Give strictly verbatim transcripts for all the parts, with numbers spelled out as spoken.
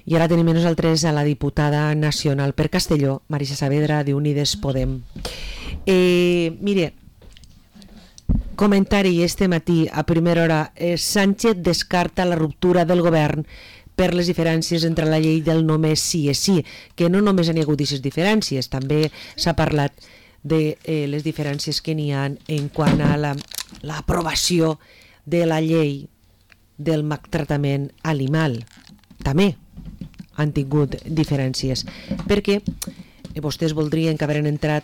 I ara tenim nosaltres a la diputada nacional per Castelló, Marisa Saavedra, d'Unides Podem. Eh, mire, comentari este matí a primera hora, eh, Sánchez descarta la ruptura del govern per les diferències entre la llei del només sí és sí, que no només hi ha hagut aquestes diferències, també s'ha parlat de eh, les diferències que n'hi ha en quant a l'aprovació de la llei del maltractament animal. També han tingut diferències, perquè vostès voldrien que hagueren entrat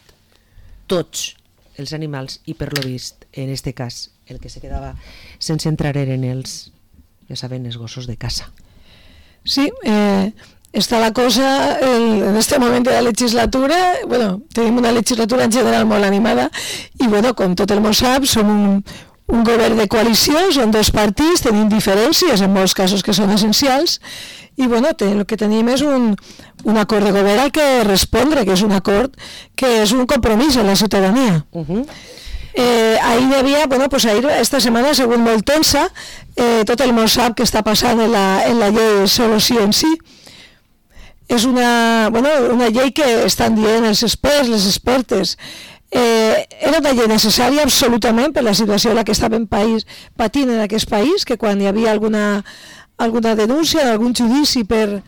tots els animals i per lo vist, en este cas, el que se quedava sense entrar eren els, ja saben, els gossos de caça. Sí, eh, està la cosa el, en este moment de la legislatura, bueno, tenim una legislatura en general molt animada i bueno, com tot el món sap, som un, un govern de coalició, són dos partits, tenim diferències en molts casos que són essencials i bueno, el que tenim és un, un acord de govern al que respondre, que és un acord que és un compromís a la ciutadania. Uh-huh. Eh, ahir hi havia, bueno, pues ahir, esta setmana ha sigut molt tensa, eh, tot el món sap que està passant en la, en la llei solo sí en sí. És una, bueno, una llei que estan dient els experts, les expertes, eh, era una llei necessària absolutament per la situació en la que estàvem país, patint en aquest país, que quan hi havia alguna, alguna denúncia, algun judici per...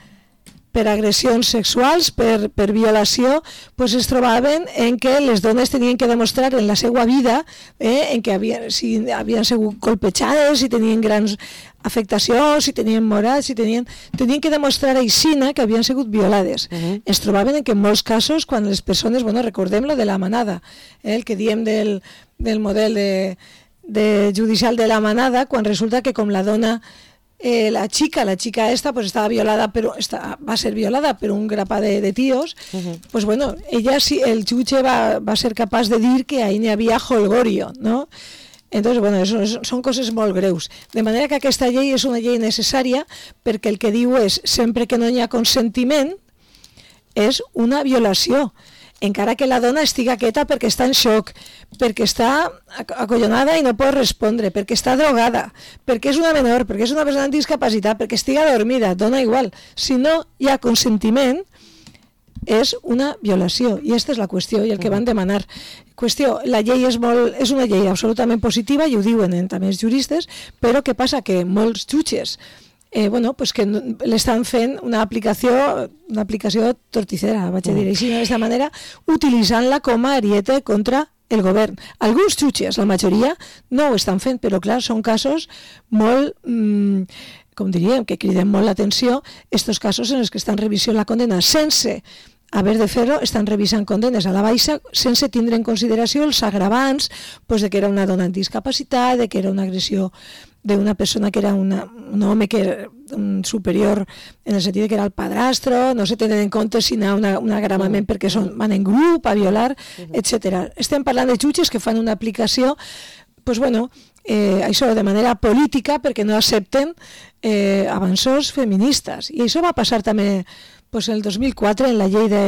per agressions sexuals, per, per violació, pues es trobaven en que les dones tenien que demostrar en la seva vida eh, en que havien, si havien sigut colpejades, si tenien grans afectacions, si tenien morats, si tenien, tenien que demostrar a Ixina que havien sigut violades. Uh-huh. Es trobaven en que en molts casos, quan les persones, bueno, recordem lo de la manada, eh, el que diem del, del model de, de judicial de la manada, quan resulta que com la dona Eh, la chica, la chica esta pues estaba violada, pero está, va a ser violada por un grapa de, de tíos, uh-huh. Pues bueno, ella sí, el chuche va, va a ser capaz de dir que ahí n'hi havia holgorio, ¿no? Entonces, bueno, eso, eso son coses molt greus. De manera que aquesta llei és una llei necessària perquè el que diu és, sempre que no hi ha consentiment, és una violació. Encara que la dona estiga quieta perquè està en xoc, perquè està acollonada i no pot respondre, perquè està drogada, perquè és una menor, perquè és una persona amb discapacitat, perquè estiga dormida, dona igual. Si no hi ha consentiment, és una violació, i aquesta és la qüestió i el que van demanar. Qüestió, la llei és, molt, és una llei absolutament positiva, i ho diuen també els juristes, però què passa? Que molts jutges Eh, bueno, pues que l'estan fent una aplicació, una aplicació torticera, vaig a dir així, d'aquesta manera, utilitzant-la com a ariete contra el govern. Alguns jutges, la majoria, no ho estan fent, però clar, són casos molt, mmm, com diríem, que criden molt l'atenció, estos casos en els que estan revisant la condena sense haver de fer-ho, estan revisant condenes a la baixa sense tindre en consideració els agravants, pues, de que era una dona amb discapacitat, de que era una agressió d'una persona que era una, un home que era un superior en el sentit que era el padrastro, no se tenen en compte si hi ha una, un agravament perquè són, van en grup a violar, etcètera. Estem parlant de jutges que fan una aplicació, pues bueno, eh, això de manera política perquè no accepten eh, avanços feministes. I això va passar també pues, el dos mil quatre en la llei de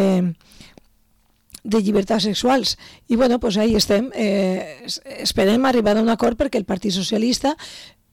de llibertats sexuals. I bueno, pues ahí estem. Eh, esperem arribar a un acord perquè el Partit Socialista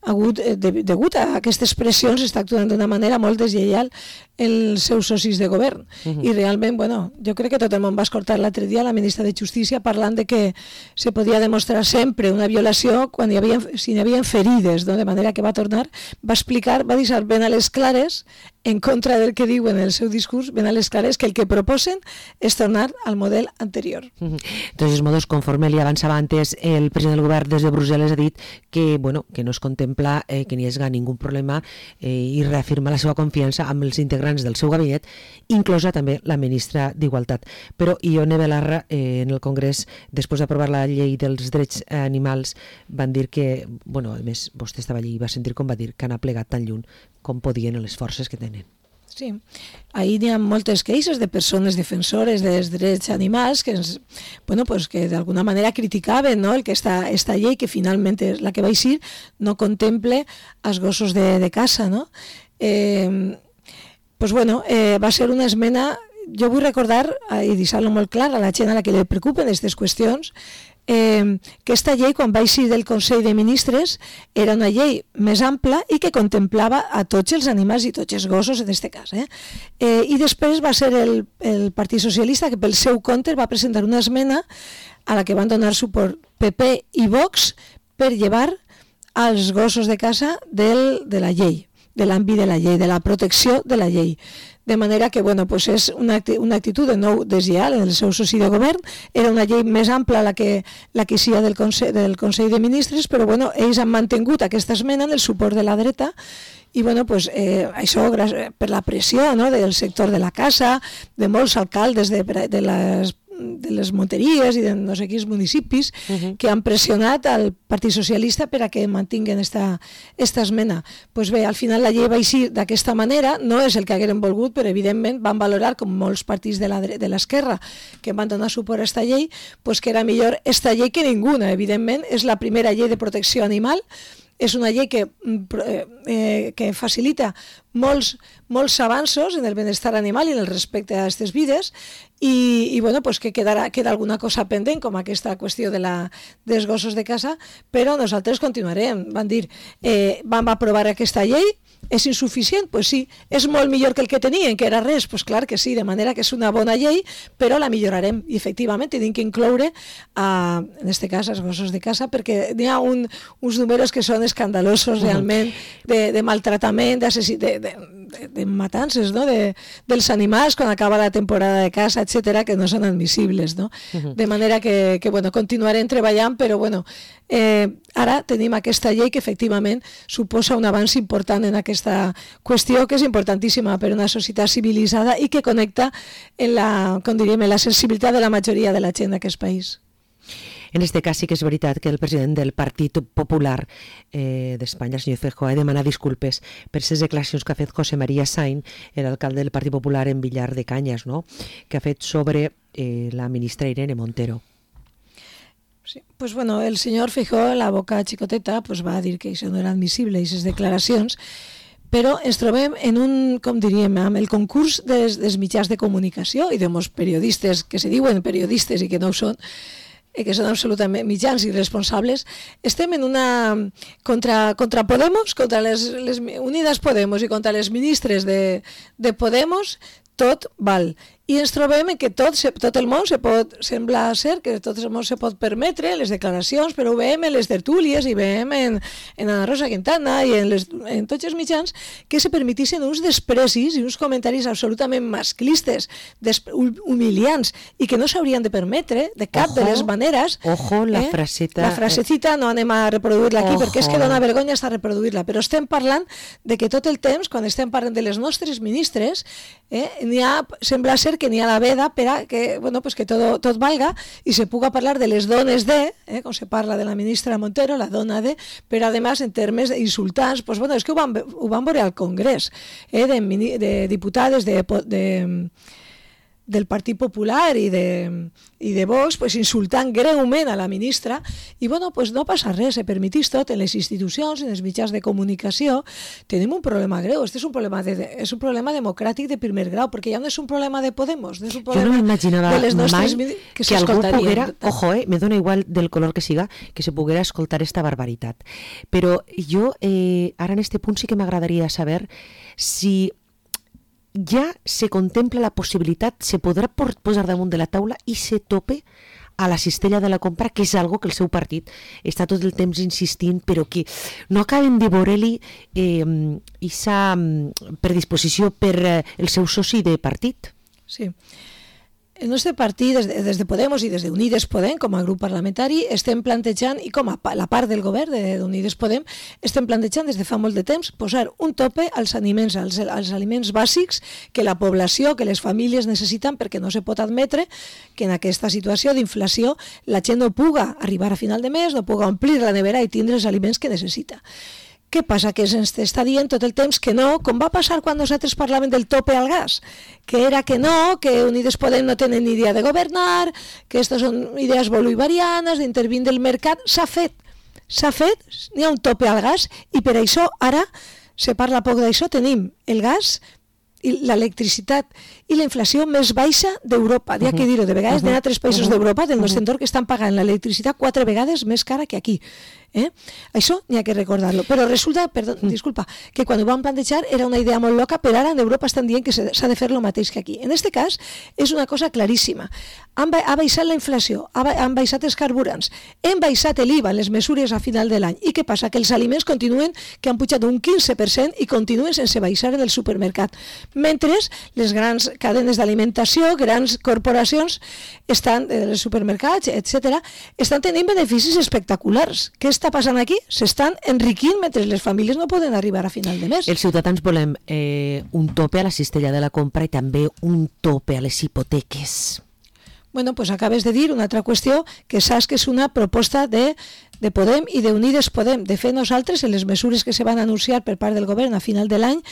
hagut, de, degut a aquestes pressions, està actuant d'una manera molt deslleial els seus socis de govern. Uh-huh. I realment, bueno, jo crec que tot el món va escoltar l'altre dia la ministra de Justícia parlant de que se podia demostrar sempre una violació quan hi havia, si hi havia ferides, no? De manera que va tornar, va explicar, va deixar ben a les clares, en contra del que diuen en el seu discurs, ben a les clares que el que proposen és tornar al model anterior. Uh-huh. Entonces, modos, conforme li avançava antes, el president del govern des de Brussel·les ha dit que, bueno, que no es contempla eh, que n'hi hagi ningú problema eh, i reafirma la seva confiança amb els integrants del seu gabinet, inclosa també la ministra d'Igualtat. Però Ione Belarra, eh, en el Congrés, després d'aprovar la llei dels drets animals, van dir que, bueno, a més, vostè estava allí i va sentir com va dir que han aplegat tan lluny com podien les forces que tenen. Sí, ahí hi ha moltes queixes de persones defensores dels drets animals que, ens, bueno, pues que d'alguna manera criticaven, no? El que esta, esta llei, que finalment és la que va eixir, no contemple els gossos de, de casa, no? Eh, pues bueno, eh, va ser una esmena. Jo vull recordar, i deixar-lo molt clar, a la gent a la que li preocupen aquestes qüestions, eh, que esta llei, quan va eixir del Consell de Ministres, era una llei més ampla i que contemplava a tots els animals i tots els gossos, en aquest cas. Eh? Eh, I després va ser el, el Partit Socialista que pel seu compte va presentar una esmena a la que van donar suport P P i Vox per llevar als gossos de casa del, de la llei, de l'àmbit de la llei, de la protecció de la llei. De manera que, bueno, pues és una, una actitud de nou deslleial en el seu soci de govern. Era una llei més ampla la que, la que hi ha del Consell, del Consell de Ministres, però bueno, ells han mantingut aquesta esmena en el suport de la dreta i bueno, pues, eh, això per la pressió, no?, del sector de la casa, de molts alcaldes de, de les de les monteries i de no sé quins municipis uh-huh. que han pressionat al Partit Socialista per a que mantinguen esta, esta esmena. Pues bé, al final la llei va eixir d'aquesta manera, no és el que hagueren volgut, però evidentment van valorar, com molts partits de l'esquerra que van donar suport a esta llei, pues que era millor esta llei que ninguna. Evidentment, és la primera llei de protecció animal, és una llei que, eh, que facilita molts, molts avanços en el benestar animal i en el respecte a aquestes vides i, i bueno, pues que quedarà, queda alguna cosa pendent, com aquesta qüestió de la, dels gossos de casa, però nosaltres continuarem. Van dir, eh, vam aprovar aquesta llei, és insuficient? Pues sí. És molt millor que el que tenien, que era res? Pues clar que sí, de manera que és una bona llei, però la millorarem. I efectivament tenim que incloure, uh, en aquest cas, els gossos de casa, perquè n'hi ha un, uns números que són escandalosos realment, de, de maltratament, de, de, de, de matances, no?, de, dels animals quan acaba la temporada de caça, etcètera, que no són admissibles, no? De manera que, que bueno, continuarem treballant, però bueno, eh, ara tenim aquesta llei que efectivament suposa un avanç important en aquesta qüestió, que és importantíssima per a una societat civilitzada i que connecta en la, com diríem, en la sensibilitat de la majoria de la gent d'aquest país. En este cas sí que és veritat que el president del Partit Popular eh, d'Espanya, el senyor Feijóo, ha demanat disculpes per les declaracions que ha fet José María Sainz, l'alcalde del Partit Popular en Villar de Cañas, no?, que ha fet sobre eh, la ministra Irene Montero. Sí, pues bueno, el senyor Feijóo, la boca xicoteta, pues va dir que això no era admissible, aquestes declaracions, però ens trobem en un, com diríem, amb el concurs dels, dels mitjans de comunicació i de molts periodistes que se diuen periodistes i que no ho són, que són absolutament mitjans i responsables, estem en una... contra, contra Podemos, contra les, les Unides Podemos i contra les ministres de, de Podemos, tot val. I ens trobem que tot, tot el món se pot, sembla ser que tot el món se pot permetre les declaracions, però ho veiem en les tertúlies i veiem en, en Ana Rosa Quintana i en, les, en tots els mitjans que se permetissin uns desprecis i uns comentaris absolutament masclistes, humiliants, i que no s'haurien de permetre de cap ojo, de les maneres. Ojo, la eh? fraseta... La frasecita no anem a reproduir-la aquí ojo. Perquè és que dona vergonya estar reproduir-la, però estem parlant de que tot el temps, quan estem parlant de les nostres ministres, eh, n'hi ha, sembla ser que n'hi ha la veda per a que, bueno, pues que tot, tot valga i se puga parlar de les dones de, eh, com se parla de la ministra Montero, la dona de, però además en termes insultants, pues bueno, és que ho van, ho van veure al Congrés, eh, de, de diputades de, de, del Partit Popular i de, i de Vox, pues insultant greument a la ministra, i bueno, pues no passa res, se permetís tot en les institucions, en els mitjans de comunicació. Tenim un problema greu, este és un problema, de, és un problema democràtic de primer grau, perquè ja no és un problema de Podemos, no és un problema jo no m'imaginava de les nostres mai que, que algú poguera, ojo, eh, me dona igual del color que siga, que se poguera escoltar esta barbaritat. Però jo, eh, ara en este punt sí que m'agradaria saber si ja se contempla la possibilitat, se podrà posar damunt de la taula i se tope a la cistella de la compra, que és algo que el seu partit està tot el temps insistint, però que no acaben de veure-li eh, aquesta predisposició per eh, el seu soci de partit. Sí. El nostre partit, des de, des de Podemos i des de Unides Podem, com a grup parlamentari, estem plantejant, i com a la part del govern d'Unides Podem, estem plantejant des de fa molt de temps posar un tope als aliments, als, als aliments bàsics que la població, que les famílies necessiten, perquè no se pot admetre que en aquesta situació d'inflació la gent no puga arribar a final de mes, no puga omplir la nevera i tindre els aliments que necessita. Què passa? Que ens està dient tot el temps que no, com va passar quan nosaltres parlàvem del tope al gas, que era que no, que Unides Podem no tenen ni idea de governar, que aquestes són idees bolivarianes, d'intervindre el mercat. S'ha fet, s'ha fet, n'hi ha un tope al gas, i per això ara se parla poc d'això, tenim el gas l'electricitat i la inflació més baixa d'Europa. N'hi ha que dir-ho, de vegades n'hi ha tres països d'Europa del nostre entorn que estan pagant l'electricitat quatre vegades més cara que aquí. Eh? Això n'hi ha que recordar-lo. Però resulta, perdó, disculpa, que quan ho van plantejar era una idea molt loca, però ara en Europa estan dient que s'ha de fer el mateix que aquí. En aquest cas és una cosa claríssima. Han, ba ha baixat la inflació, ha, ba han baixat els carburants, hem baixat l'I V A, les mesures a final de l'any. I què passa? Que els aliments continuen, que han pujat un quinze per cent i continuen sense baixar en el supermercat. Mentre les grans cadenes d'alimentació, grans corporacions, estan, els supermercats, etcètera, estan tenint beneficis espectaculars. Què està passant aquí? S'estan enriquint mentre les famílies no poden arribar a final de mes. Els ciutadans volem eh, un tope a la cistella de la compra i també un tope a les hipoteques. Bueno, pues acabes de dir una altra qüestió que saps que és una proposta de, de Podem i d'Unides Podem. De fet, nosaltres, en les mesures que se van anunciar per part del govern a final de l'any,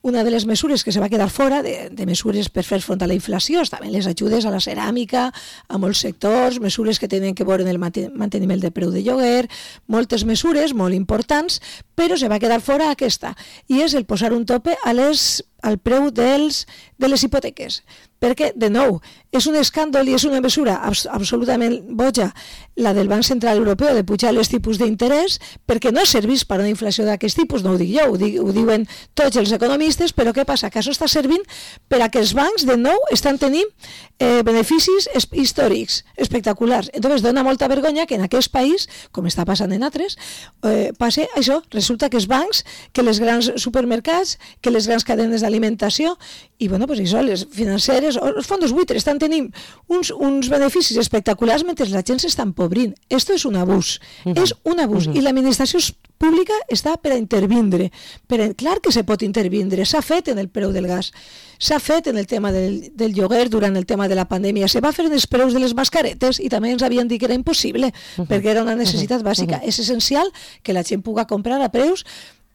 una de les mesures que se va quedar fora, de, de mesures per fer front a la inflació, estaven les ajudes a la ceràmica, a molts sectors, mesures que tenen que veure en el manteniment de preu de lloguer, moltes mesures molt importants, però se va quedar fora aquesta, i és el posar un tope a les, al preu dels, de les hipoteques. Perquè, de nou, és un escàndol i és una mesura abs absolutament boja, la del Banc Central Europeu de pujar els tipus d'interès, perquè no serveix per a una inflació d'aquest tipus, no ho dic jo, ho, dic, ho diuen tots els economistes, però què passa? Que això està servint per a que els bancs, de nou, estan tenint eh, beneficis històrics, espectaculars. Entonces, dona molta vergonya que en aquest país, com està passant en altres, eh, passe això. Resulta que els bancs, que les grans supermercats, que les grans cadenes d'alimentació, i bueno, pues això, les financeres, els fondos buitres estan tenint uns, uns beneficis espectaculars mentre la gent s'està empobrint. Esto és un abús, uh -huh. és un abús, uh -huh. i l'administració pública està per a intervindre. Per a, clar que se pot intervindre, s'ha fet en el preu del gas, s'ha fet en el tema del, del lloguer durant el tema de la pandèmia, se va fer en els preus de les mascaretes i també ens havien dit que era impossible, uh -huh. perquè era una necessitat bàsica. Uh -huh. És essencial que la gent pugui comprar a preus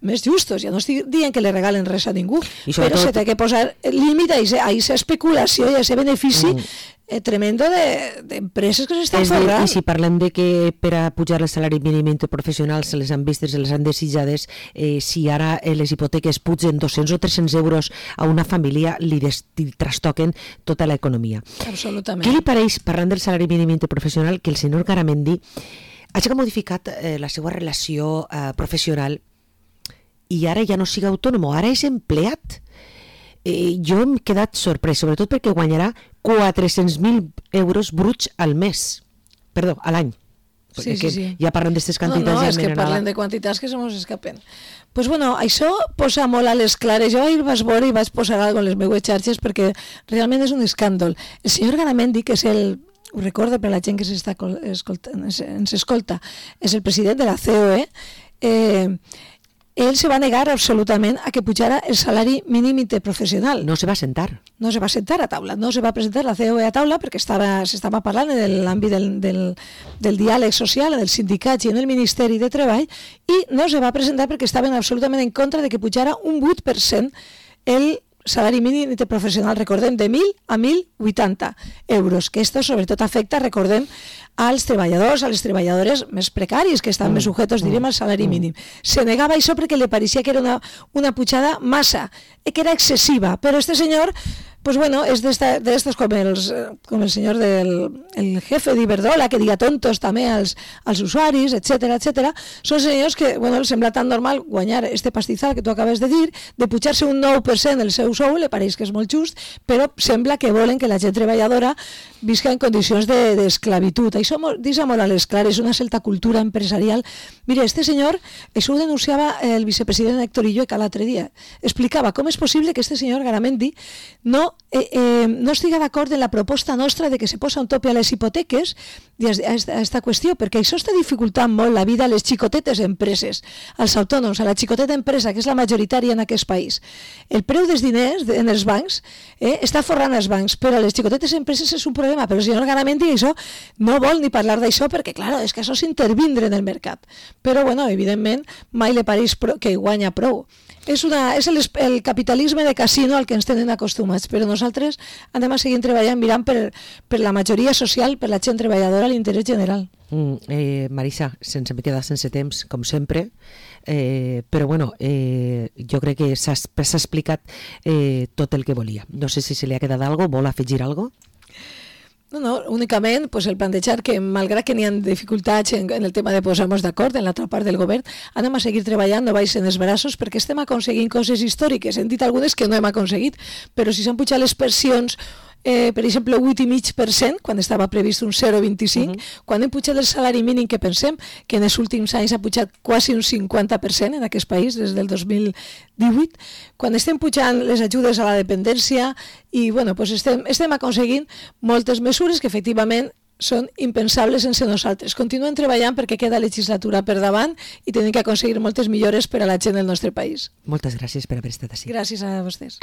més justos. Ja no estic dient que li regalen res a ningú, però tot... se té que posar límit a aquesta especulació i a aquest benefici mm. eh, tremendo d'empreses de, que s'estan forrant. I si parlem de que per a pujar el salari mínim interprofessional se les han vistes, se les han desitjades, eh, si ara eh, les hipoteques pugen dos-cents o tres-cents euros a una família, li, des, li trastoquen tota l'economia. Absolutament. Què li pareix, parlant del salari mínim interprofessional, que el senyor Garamendi hagi modificat eh, la seva relació eh, professional i ara ja no siga autònom, ara és empleat? Eh, jo hem quedat sorprès, sobretot perquè guanyarà quatre-cents mil euros bruts al mes. Perdó, a l'any. Sí, sí, sí. Ja parlen d'aquestes quantitats. No, no, ja és que parlen de quantitats que se mos escapen. Pues bueno, això posa molt a les clares. Jo ahir vaig veure i vaig posar alguna cosa en les meues xarxes perquè realment és un escàndol. El senyor Garamendi, que és el... ho recordo per la gent que s'està escoltant, ens escolta, és el president de la C O E, eh, ell se va negar absolutament a que pujara el salari mínim interprofessional. No se va sentar. No se va sentar a taula, no se va presentar la C O E a taula perquè s'estava parlant en l'àmbit del, del, del diàleg social, del sindicat i en el Ministeri de Treball, i no se va presentar perquè estaven absolutament en contra de que pujara un vuit per cent el salari mínim interprofessional, recordem, de mil a mil vuitanta euros, que esto sobretot afecta, recordem, als treballadors, a les treballadores més precaris, que estan mm. més sujetos, direm, al salari mm. mínim. Se negava això perquè li pareixia que era una, una pujada massa, que era excessiva, però este senyor, pues bueno, és d'estos com, com el senyor del el jefe d'Iberdrola, que diga tontos també als, als usuaris, etcètera, etcètera. Són senyors que, bueno, els sembla tan normal guanyar este pastizal que tu acabes de dir, de pujar-se un nou per cent el seu sou, li pareix que és molt just, però sembla que volen que la gent treballadora visca en condicions d'esclavitud. De, això deixa molt a les clares, una certa cultura empresarial. Mire, este senyor, això ho denunciava el vicepresident Héctor Illueca l'altre dia, explicava com és possible que este senyor Garamendi no Eh, eh, no estiga d'acord en la proposta nostra de que se posa un tope a les hipoteques i a aquesta qüestió, perquè això està dificultant molt la vida a les xicotetes empreses, als autònoms, a la xicoteta empresa, que és la majoritària en aquest país. El preu dels diners en els bancs eh, està forrant els bancs, però a les xicotetes empreses és un problema, però el senyor Garamendi això no vol ni parlar d'això, perquè, clar, és que això és intervindre en el mercat. Però, bueno, evidentment, mai li pareix que guanya prou. És, una, és el, el capitalisme de casino al que ens tenen acostumats, però nosaltres anem a seguir treballant mirant per, per la majoria social, per la gent treballadora, l'interès general. Mm, eh, Marisa, sense me quedar sense temps, com sempre, eh, però bueno, eh, jo crec que s'ha explicat eh, tot el que volia. No sé si se li ha quedat alguna cosa, vol afegir alguna cosa? No, no, únicament pues, el plantejar que, malgrat que n'hi ha dificultats en, en el tema de posar-nos d'acord en l'altra part del govern, anem a seguir treballant, no baixen els braços, perquè estem aconseguint coses històriques. Hem dit algunes que no hem aconseguit, però si s'han pujat les pensions, eh, per exemple, vuit coma cinc per cent, quan estava previst un zero coma vint-i-cinc, uh-huh. quan hem pujat el salari mínim, que pensem que en els últims anys ha pujat quasi un cinquanta per cent en aquest país, des del dos mil divuit, quan estem pujant les ajudes a la dependència i bueno, pues estem, estem aconseguint moltes mesures que efectivament són impensables sense nosaltres. Continuem treballant perquè queda legislatura per davant i tenim que aconseguir moltes millores per a la gent del nostre país. Moltes gràcies per haver estat així. Gràcies a vostès.